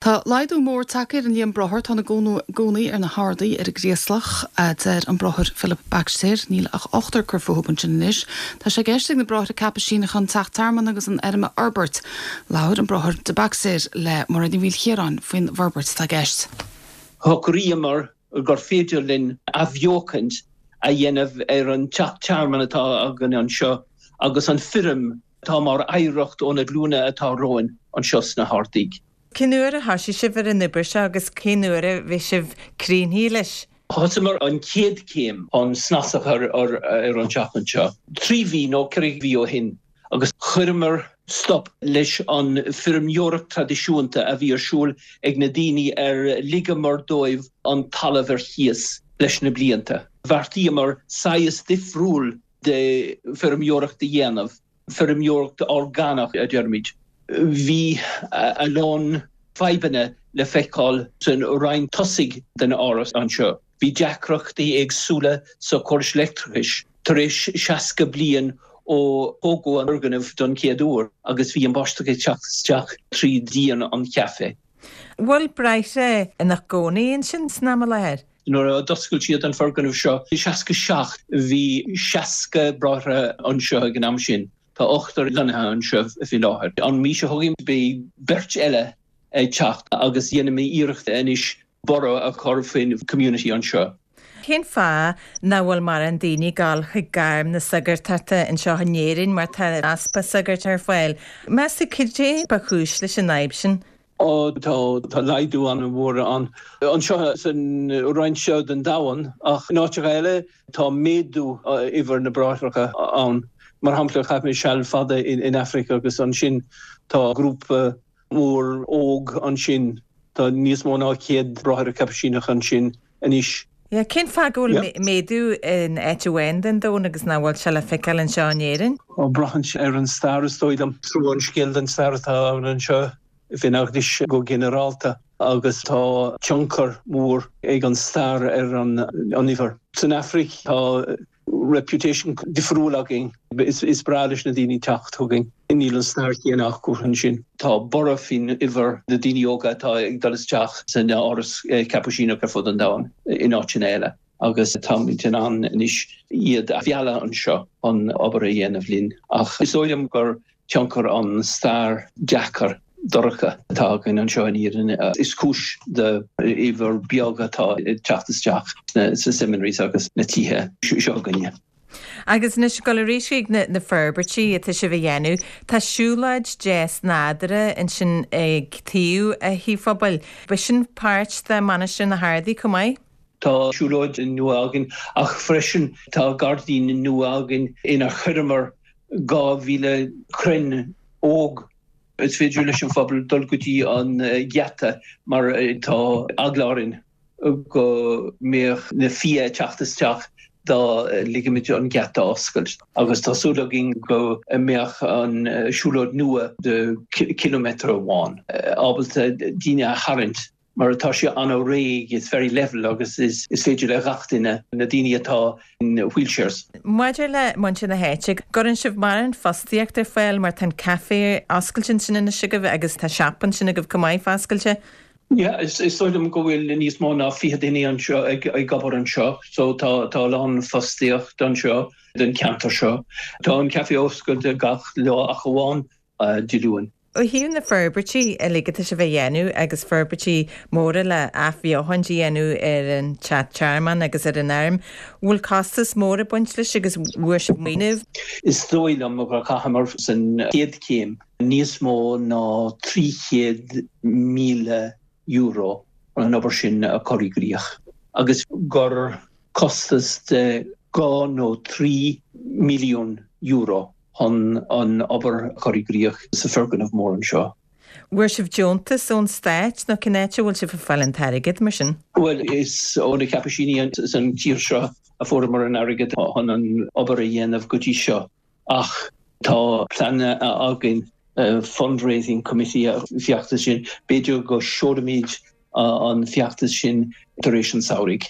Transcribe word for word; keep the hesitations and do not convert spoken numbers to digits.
Tá laghdú mór tagtha ar an líon bráthair atá ina gcónaí ar na hArdaí ar an gCraoslach a deir an bráthair Philip Baxter níl ach ochtar ag cur fúthu ansin anois. Tá sé i gceist ag na bráithre Caipisíneacha an teach tearmainn agus an fheirm a fhorbairt. Labhair an bráthair de Baxter le Mairéad Ní Mhaoilchiaráin faoin bhforbairt atá i gceist. Shocraíomar gur féidir linn athbheochaint a dhéanamh ar an teach tearmainn atá againn anseo agus an feirm atá mar oidhreacht ó na glúine atá romhainn anseo sna hArdaí. Cén uair a thosaigh sibh ar an obair seo agus cén uair a bhí sibh críochnaithe leis? Thosaíomar an chéad chéim an snas a chur ar ar an teach anseo. Trí mhí nó ceithre mhí ó shin agus chuireamar stop leis an feirmeoireacht traidisiúnta a bhí ar siúl ag na daoine ar ligeamar dóibh an talamh ar chíos leis na blianta. Bheartaíomar saghas difriúil de feirmeoireacht a dhéanamh, feirmeoireacht orgánach a deirimid. Bhí a lán fadhbanna le feiceáil san roinn tosaigh den áras anseo. Bhí deacrachtaí éagsúla sa chóras leictreachais tar éis seasca bliain ó tógadh an foirgneamh don chéad uair agus bhí an bháisteach ag teacht isteach trí dhíon an chaifé. Bhfuil bráithre ina gcónaí ansin san am i láthair? Nuair a d'oscail siad an foirgneamh seo i seasca seacht bhí seasca bráithre anseo ag an am sin. Tá ochtar lonnaithe anseo faoi láthair. An mhí seo chugainn beidh beirt eile ag teacht agus déanaimid iarracht anois borradh a chur faoin community anseo. Cén fáth nach bhfuil mórán daoine ag gabháil chuig gairm na sagartachta anseo in Éirinn mar tá easpa sagart ar fáil. Meas tú cad é ba chúis leis an fhadhb sin? Ó tá tá laghdú an-mhór an anseo san roinn seo den domhan ach in áiteacha eile tá méadú uimhir na bráithreacha ann. Mar shampla chaith mé seal fada in, in Africa agus ansin tá grúpa mór óg ansin tá níos mó ná céad bráthair Caipisíneach ansin anois. Ja, cén fáth go bhfuil méadú in áit amháin den domhan agus nach bhfuil sé le feiceáil anseo in Éirinn? Ó braitheann sé ar an stair is dóigh liom trua an scéal den stair atá ann anseo faoin eaglais go ginearálta agus tá tionchar mór ag an stair ar an an uimhir. San Afraic tá reputation difriúil againn is, is breá leis na daoine teacht chugainn. Níl an stair chéanna acu ansin. Tá borradh faoin uimhir na daoine óga atá ag dul isteach san áras Caipisíneach ar fud an domhain in áiteanna eile. agus táimid in ann anois iad a mhealladh anseo an obair a dhéanamh linn. Ach is dóigh liom gur tionchar an stair deacair dorcha atá againn anseo in Éirinn is cúis de uimhir beag atá ag teacht isteach sna seminaries agus na tithe seo againne. Agus anois ag dul arís ag na, na forbairtí atá sibh a dhéanamh, Tá siúlóid deas nádúrtha ansin ag taobh an tí phobail. Ba sin páirt de Mainistir na hArdaí chomh maith? Tá siúlóid nua againn ach freisin tá gairdín nua againn inar chuireamar dhá mhíle crann óg Is féidir leis an phobal dul go dtí an geata mar tá eagla orainn go mbeadh na fia teacht isteach dá ligimid an geata oscailt. agus tá súil againn go mbeadh an siúlóid nua de kilometer amháin ábalta daoine a tharraingt mar atá sé an-réidh is very level agus is, is féidir le gach duine na daoine atá in wheelchairs. Maidir le muintir na háite, cuireann sibh mórán fostaíocht ar fáil mar tá an café oscailte ansin anois agaibh agus tá siopa ansin agaibh chomh maith oscailte. Yeah, is is dóigh liom go bhfuil níos mó ná fiche duine anseo ag ag obair anseo, so tá tá lán fostaíocht anseo den ceantar seo. Tá an café oscailte gach lá ach amháin uh, Dé Luain. Ó thaobh na forbairtí uilig atá sibh a dhéanamh agus forbairtí móra le athbheochan a dhéanamh ar an teach tearmainn agus ar an fheirm, bhfuil costas mór ag baint leis agus bhfuair sibh maoiniú. Is dóigh liom gur chaitheamar san chéad chéim níos mó ná trí chéad míle euro an obair sin a chur i gcrích. agus gur costas de dhá nó trí milliún euro chun an obair chur i gcrích sa foirgneamh mór anseo. Bhfuair sibh deontas ón stát nó cén áit a bhfuil sibh ag fáil an t-airgead mar sin? Well is ó na Caipisíní san tír seo a fuaireamar an airgead chun an obair a dhéanamh go dtí seo ach tá plean againn fundraising committee a feachtas sin b'fhéidir go seolfaimid an feachtas sin tar éis an samhraidh.